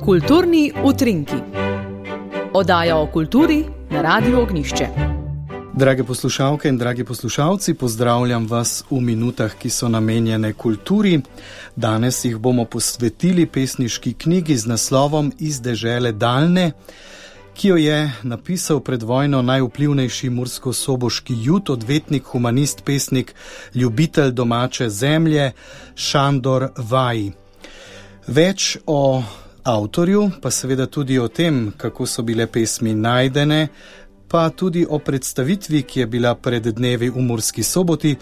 Kulturni utrinki. Oddaja o kulturi na Radiu Ognjišče. Drage poslušalke in dragi poslušalci, pozdravljam vas v minutah, ki so namenjene kulturi. Danes jih bomo posvetili pesniški knjigi z naslovom Iz dežele daljne, ki jo je napisal pred vojno najvplivnejši murskosoboški jud, odvetnik, humanist, pesnik, ljubitelj domače zemlje Šandor Vaj. Več o avtorju, pa seveda tudi o tem, kako so bile pesmi najdene, pa tudi o predstavitvi, ki je bila pred dnevi v Murski Soboti,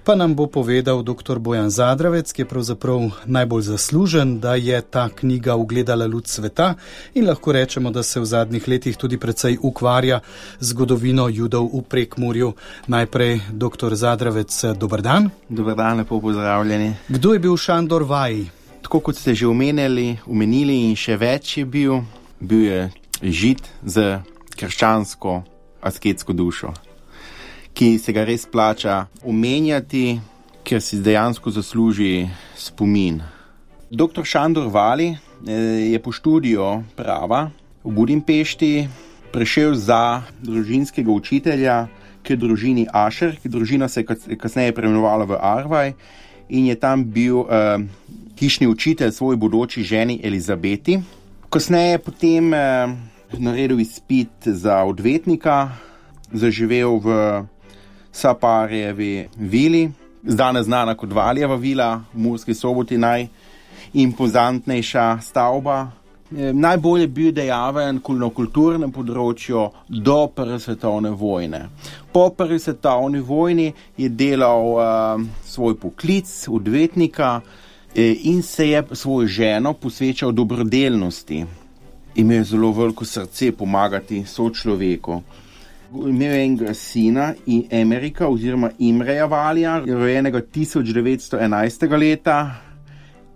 pa nam bo povedal dr. Bojan Zadravec, ki je pravzaprav najbolj zaslužen, da je ta knjiga ugledala luč sveta in lahko rečemo, da se v zadnjih letih tudi precej ukvarja z zgodovino Judov v Prekmurju. Najprej dr. Zadravec, dober dan. Dober dan, lepo pozdravljeni. Kdo je bil Šandor Vaj? Tako kot ste že omenili in še več je bil je žid z krščansko asketsko dušo, ki se ga res plača omenjati, ker si dejansko zasluži spomin. Dr. Šandor Vaj je po študiju prava v Budimpešti prišel za družinskega učitelja k družini Ašer, ki družina se je kasneje preimenovala v Arvaj in je tam bil hišni učitelj svoji bodoči ženi Elizabeti. Kasneje potem naredil izpit za odvetnika, zaživel v Saparjevi vili, danes znana kot Valjeva vila v Murski Soboti, najimpozantnejša stavba. Najbolj je bil dejaven na kulturnem področju do Prve svetovne vojne. Po Prvi svetovni vojni je delal svoj poklic odvetnika in se je svojo ženo posvečal dobrodelnosti. Imel je zelo veliko srce pomagati sočloveku. Imel je enega sina Emerika oziroma Imreja Valja, rojenega 1911. leta,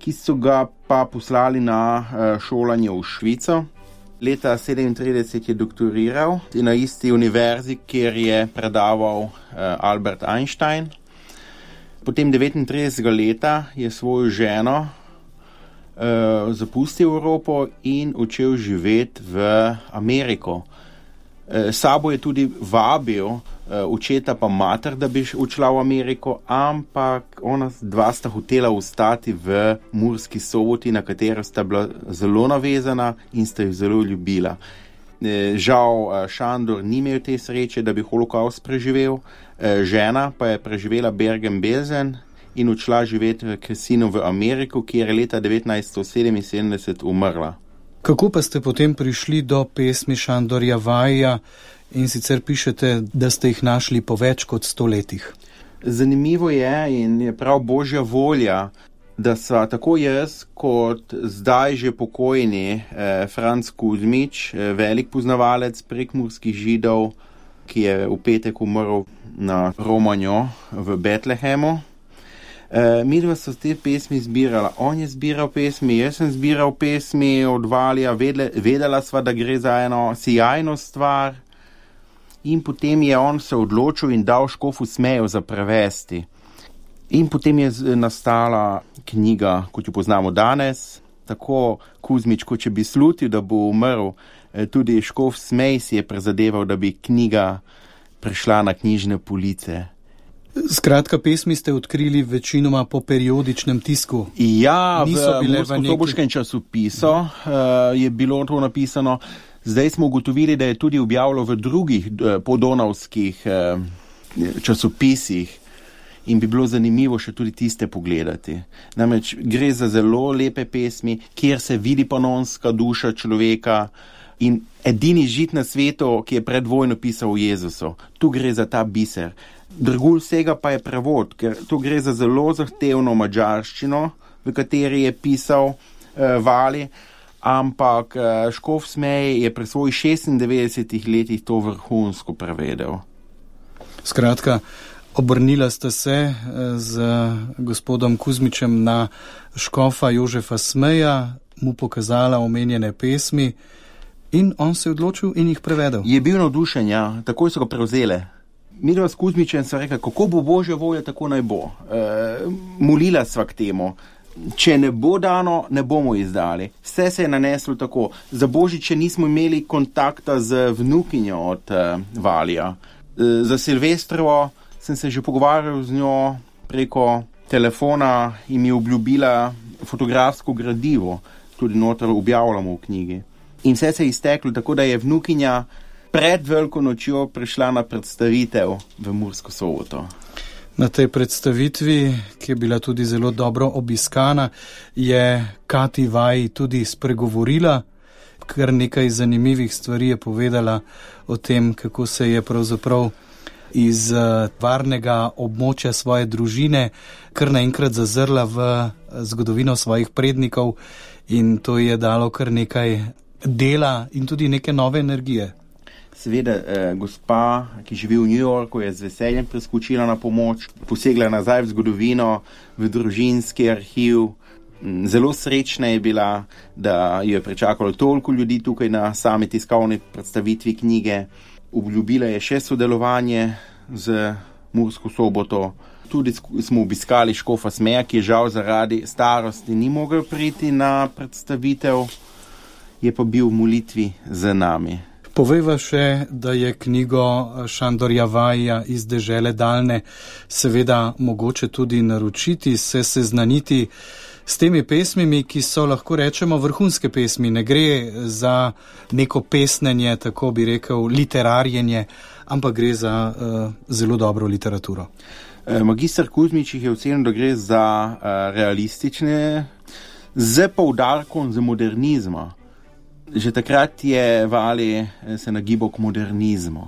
ki so ga pa poslali na šolanje v Švico. Leta 1937 je doktoriral na isti univerzi, kjer je predaval Albert Einstein. Potem 1939. leta je svojo ženo zapustil Evropo in odšel živeti v Ameriko. Sabo je tudi vabil očeta pa mater, da bi odšla v Ameriko, ampak ona dva sta hotela ostati v Murski Soboti, na katero sta bila zelo navezana in sta jih zelo ljubila. Žal Šandor ni imel te sreče, da bi holokaust preživel, žena pa je preživela Bergen-Belsen in odšla živeti k sinu v Ameriko, kjer je leta 1977 umrla. Kako pa ste potem prišli do pesmi Šandorja Vaja in sicer pišete, da ste jih našli po več kot 100 letih? Zanimivo je in je prav božja volja, da sva tako jaz kot zdaj že pokojni Franc Kuzmič, velik poznavalec prekmurskih Židov, ki je v petek umrl na romanjo v Betlehemu. Midva so te pesmi zbirala. On je zbiral pesmi, jaz sem zbiral pesmi od Valja, vedela sva, da gre za eno sijajno stvar in potem je on se odločil in dal škofu Smeju za prevesti. In potem je nastala knjiga, kot jo poznamo danes, tako Kuzmič, kot če bi slutil, da bo umrl, tudi škof Smej si je prizadeval, da bi knjiga prišla na knjižne police. Skratka, pesmi ste odkrili večinoma po periodičnem tisku. Ja, v murskosoboškem časopisu je bilo to napisano. Zdaj smo ugotovili, da je tudi objavljalo v drugih podonavskih časopisih in bi bilo zanimivo še tudi tiste pogledati. Namreč gre za zelo lepe pesmi, kjer se vidi panonska duša človeka in edini žid na svetu, ki je pred vojno pisal o Jezusu. Tu gre za ta biser. Drugul vsega pa je prevod, ker tu gre za zelo zahtevno madžarščino, v kateri je pisal Vali, ampak škof Smej je pri svojih 96 letih to vrhunsko prevedel. Skratka, obrnila ste se z gospodom Kuzmičem na škofa Jožefa Smeja, mu pokazala omenjene pesmi in on se je odločil in jih prevedel. Je bil navdušen, ja, takoj so ga prevzele. Midva s Kuzmičem sva rekla, kako bo božja volja, tako naj bo. Molila sva k temu. če ne bo dano, ne bomo izdali. Vse se je naneslo tako. Za Božiče nismo imeli kontakta z vnukinjo od Valija. Za Silvestrovo sem se že pogovarjal z njo preko telefona in mi obljubila fotografsko gradivo, tudi noter objavljamo v knjigi. In vse se je izteklo, tako da je vnukinja pred Veliko nočjo prišla na predstavitev v Mursko Soboto. Na tej predstavitvi, ki je bila tudi zelo dobro obiskana, je Kati Vaj tudi spregovorila, kar nekaj zanimivih stvari je povedala o tem, kako se je pravzaprav iz varnega območja svoje družine kar naenkrat zazrla v zgodovino svojih prednikov in to je dalo kar nekaj dela in tudi neke nove energije. Seveda, gospa, ki živi v New Yorku, je z veseljem preskočila na pomoč, posegla nazaj v zgodovino, v družinski arhiv. Zelo srečna je bila, da jo je pričakalo toliko ljudi tukaj na sami tiskovni predstavitvi knjige. Obljubila je še sodelovanje z Mursko Soboto. Tudi smo obiskali škofa Smeja, ki je žal zaradi starosti ni mogel priti na predstavitev, je pa bil v molitvi z nami. Povejva še, da je knjigo Šandorja Vaja Iz dežele daljne seveda mogoče tudi naročiti, se seznaniti s temi pesmimi, ki so, lahko rečemo, vrhunske pesmi. Ne gre za neko pesnenje, tako bi rekel, literarjenje, ampak gre za zelo dobro literaturo. Magister Kuzmič jih je ocenil, da gre za realistične, z poudarkom za modernizma. Že takrat je Vali se nagibal k modernizmu,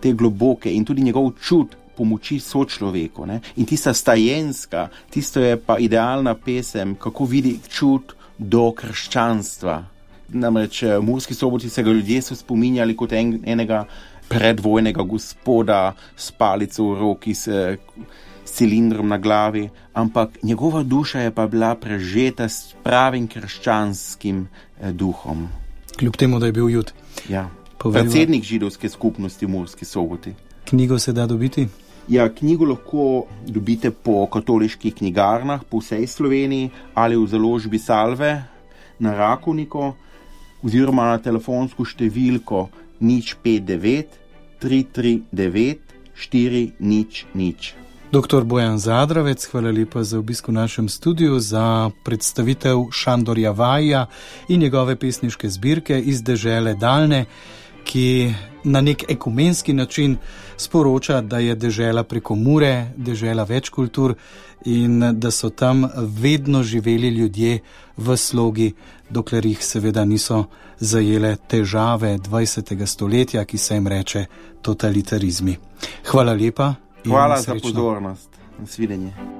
te globoke in tudi njegov čut pomoči sočloveku. Ne? In tista stajenska, tisto je pa idealna pesem, kako vidi čut do krščanstva. Namreč v Murski Soboti se ga ljudje so spominjali kot enega predvojnega gospoda s palico v roki, s cilindrom na glavi, ampak njegova duša je pa bila prežeta s pravim krščanskim duhom. Kljub temu, da je bil Jud. Ja, predsednik židovske skupnosti v Murski Soboti. Knjigo se da dobiti? Ja, knjigo lahko dobite po katoliških knjigarnah po vsej Sloveniji ali v založbi Salve na Rakovniku oziroma na telefonsko številko 059 339 400. Dr. Bojan Zadravec, hvala lepa za obisk v našem studiu, za predstavitev Šandorja Vaja in njegove pesniške zbirke Iz dežele daljne, ki na nek ekumenski način sporoča, da je dežela preko Mure, dežela več kultur in da so tam vedno živeli ljudje v slogi, dokler jih seveda niso zajele težave 20. stoletja, ki se jim reče totalitarizmi. Hvala lepa. Hvala za pozornost. Nasvidenje.